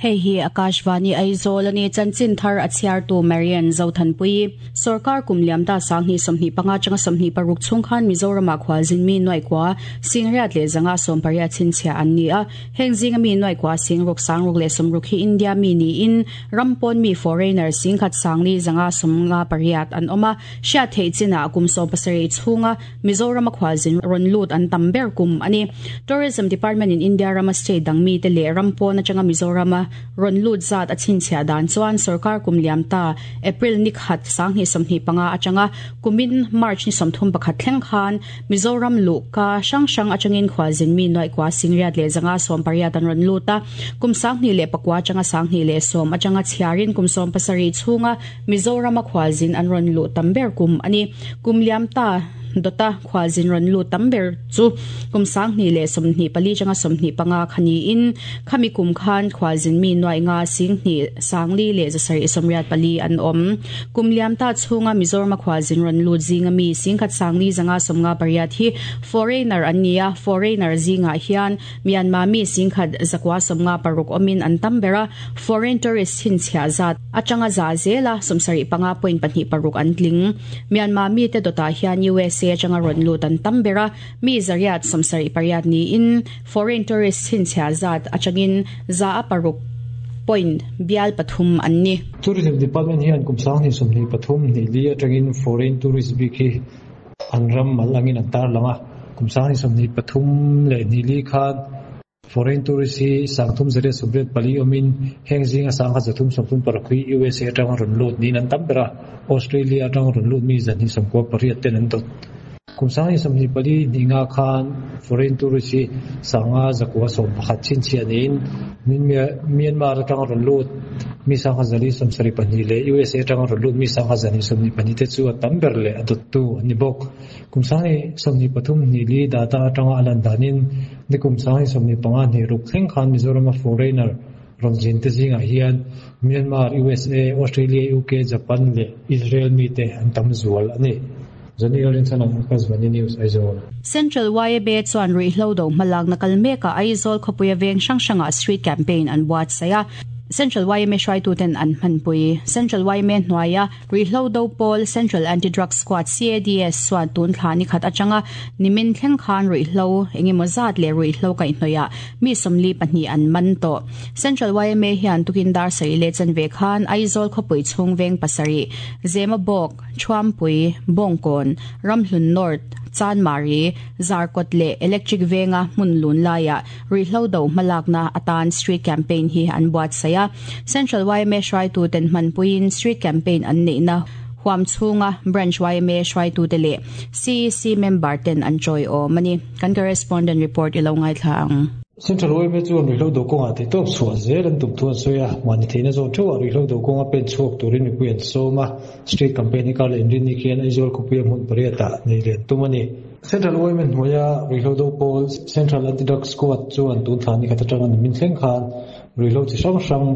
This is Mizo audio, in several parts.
Hei hi Akashvani Aizawl a ni. Chanchin thar a chhiartu Marian Zothanpuii. Sorkar kum liam ta 2025 atanga 26 chhung khan Mizoramah khualzin mi nuaih kua Singriat leh zanga 18 chhinchhiah an ni a. Heng zinga mi nuaih kua Singruk Sangruk leh Sawmruk hi India mi niin ram pawn mi foreigner Singkhat Sangli zanga 58 an awm a. Hriat theih chinah kum 17 chhunga Mizorama khualzin rawn lut an tam ber kum a ni. Tourism Department in India rama state dang mite leh ram pawn atanga Mizorama rawn lut zat a chhinchhiah dan chuan sorkar kum liam ta April ni khat 2025 atanga kumin March ni 31 thleng khan Mizoram luhka hrang hrang atangin khualzin mi nuaih kua Singriat leh zanga 18 an rawn lut a. Kum 2009 atanga 2010 atanga chhiarin kum 17 chhunga Mizorama khualzin an rawn luh tam ber kum a ni. Kum liam ta dawta khualzin rawn lut tam ber chu kum 2024 atanga 25 kha niin khami kum khan khualzin mi nuaih nga 2 sangli leh 784 an awm. Kum liam ta chhunga Mizorama khualzin rawn lut zinga mi 10 sangli zanga 58 hi foreigner an ni a, foreigner zingah hian Myanmar mi 10 156 awmin an tam ber a, foreign tourist chhinchhiah zat atanga za zela 75.26 an tling. Myanmar mite dawtah hian USA atanga rawn lut an tam ber a, mi zariat 78 niin foreign tourist chhinchhiah zat atangin za a paruk point bial pathum an ni. Tourism Department hian kum 2023 hnih li atangin foreign tourist bik hi an ram mal angin an tarlang a, kum 2023 leh hnih li khan foreign tourist hi 3884 awmin heng zinga 1336 hi USA atanga rawn lut niin an tam ber a, Australia atanga rawn lut mi 298 ten an dawt. Kum 2024 hnih nga khan foreign tourist hi 5,911 chhinchhiah niin Myanmar atanga rawn lut mi 472 leh USA atanga rawn lut mi 422 te chu a tam ber leh a dawttu an ni bawk. Kum 2023 hnih li data atanga a lan danin nikum 2025 hnih ruk thleng khan Mizorama foreigner rawn zin te zingah hian Myanmar, USA, Australia, UK, Japan leh Israel mite an tam zual a ni. Johnny Lalrinchhana, Akashvani News, Aizawl. Central YMA chuan ruihhlo do hmalakna kal mekah Aizawl khawpuia veng hrang hrangah street campaign an buatsaih a. Central YMA hruaituten an hmanpui. Central YMA hnuaia ruihhlo do pawl Central Anti-Drug Squad, CADS, chuan tun thla ni khat atanga nimin thleng khan ruihhlo engemaw zat leh ruihhlo kaihhnawihah mi 42 an man tawh. Central YMA hian tukin dar sarih leh chanve khan Aizawl khawpui chhung veng pasarih, Zemabawk, Thuampui, Bawngkawn, Ramhlun North, Chanmari, Zarkawt leh Electric Venga hmun lun laiah ruihhlo do hmalakna atan street campaign hi an buatsaih a. Central yma hruaituten hmanpuiin street campaign an neihna huam chhunga Branch yma hruaitute leh CEC member ten an tawiawm a ni. Kan correspondent report i lo ngaithla ang. Central yma chuan ruihhlo do kawngah theihtawp chhuah zel an tum thu an sawi a, mahni theihna zawng theuhah ruihhlo do kawnga pen chhuak turin mipui an sawm a. Street campaign hi kar leh inrinni khian Aizawl khawpuia hmun pariatah nei lian tum a ni. Central yma hnuaia ruihhlo do pawl Central Anti-Drug Squad chuan tun thla ni khat atanga nimin thleng khan ruihhlo chi hrang hrang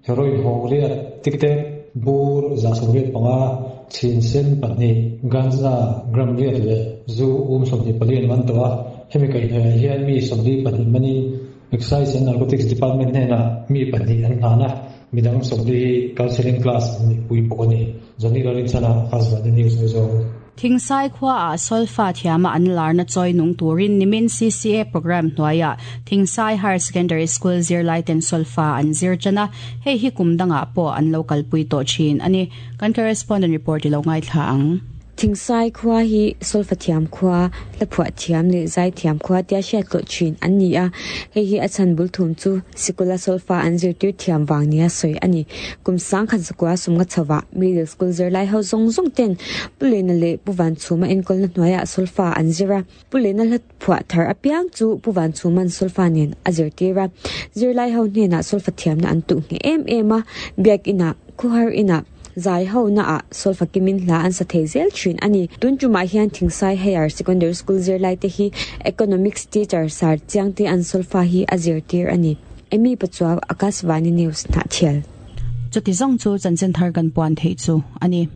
heroin hawng riat, tiktek, bur, 185, chhin sen pahnih, ganja, gram riat leh zu um 24 an man tawh a. Hemi kaihhnawihah hian mi 42 manin Excise and Narcotics Department hnenah mi pahnih an hlan a. Midang sawmli hi counselling class an nihpui bawk a ni. Johnny Lalrinchhana, Akashvani News, Aizawl. Thingsai khuaah solfa thiama an larna chawi nung turin nimin CCA programme hnuaiah Thingsai Higher Secondary School zirlaiten solfa an zir tan a, hei hi kum dangah pawh an lo kalpui tawh thin a ni. Kan correspondent report i lo ngaithla ang. Thingsai khua hi solfa thiam khua, hlaphuah thiam leh zai thiam khua tia hriat hlawh thin an ni a. Hei hi a chhan bul thum chu sikula solfa an zirtir thiam vang nia sawi a ni. Kum 1000 zakua sumnga chhovah middle school zirlai ho zawng zawng ten Pu Lena leh Pu Vanchhuma enkawlna hnuaiah solfa an zir a. Pu Lena hla phuah thar apiang chu Pu Vanchhuma'n solfa nen a zirtir a. Zirlai ho hnenah solfa thiamna an tuh ngheh em em a. Biakinah, khuhar inah, zai ho naah solfa kimin hla an sa thei zel thin a ni. Tun tumah hian Thingsai Higher Secondary School zirlai te hi Economics teacher Sir Chiangte an solfa hi a zirtir a ni. Amy Pachuau, Akashvani News, Hnahthial. Chuti zawng chu chanchin thar kan puan theih chu a ni.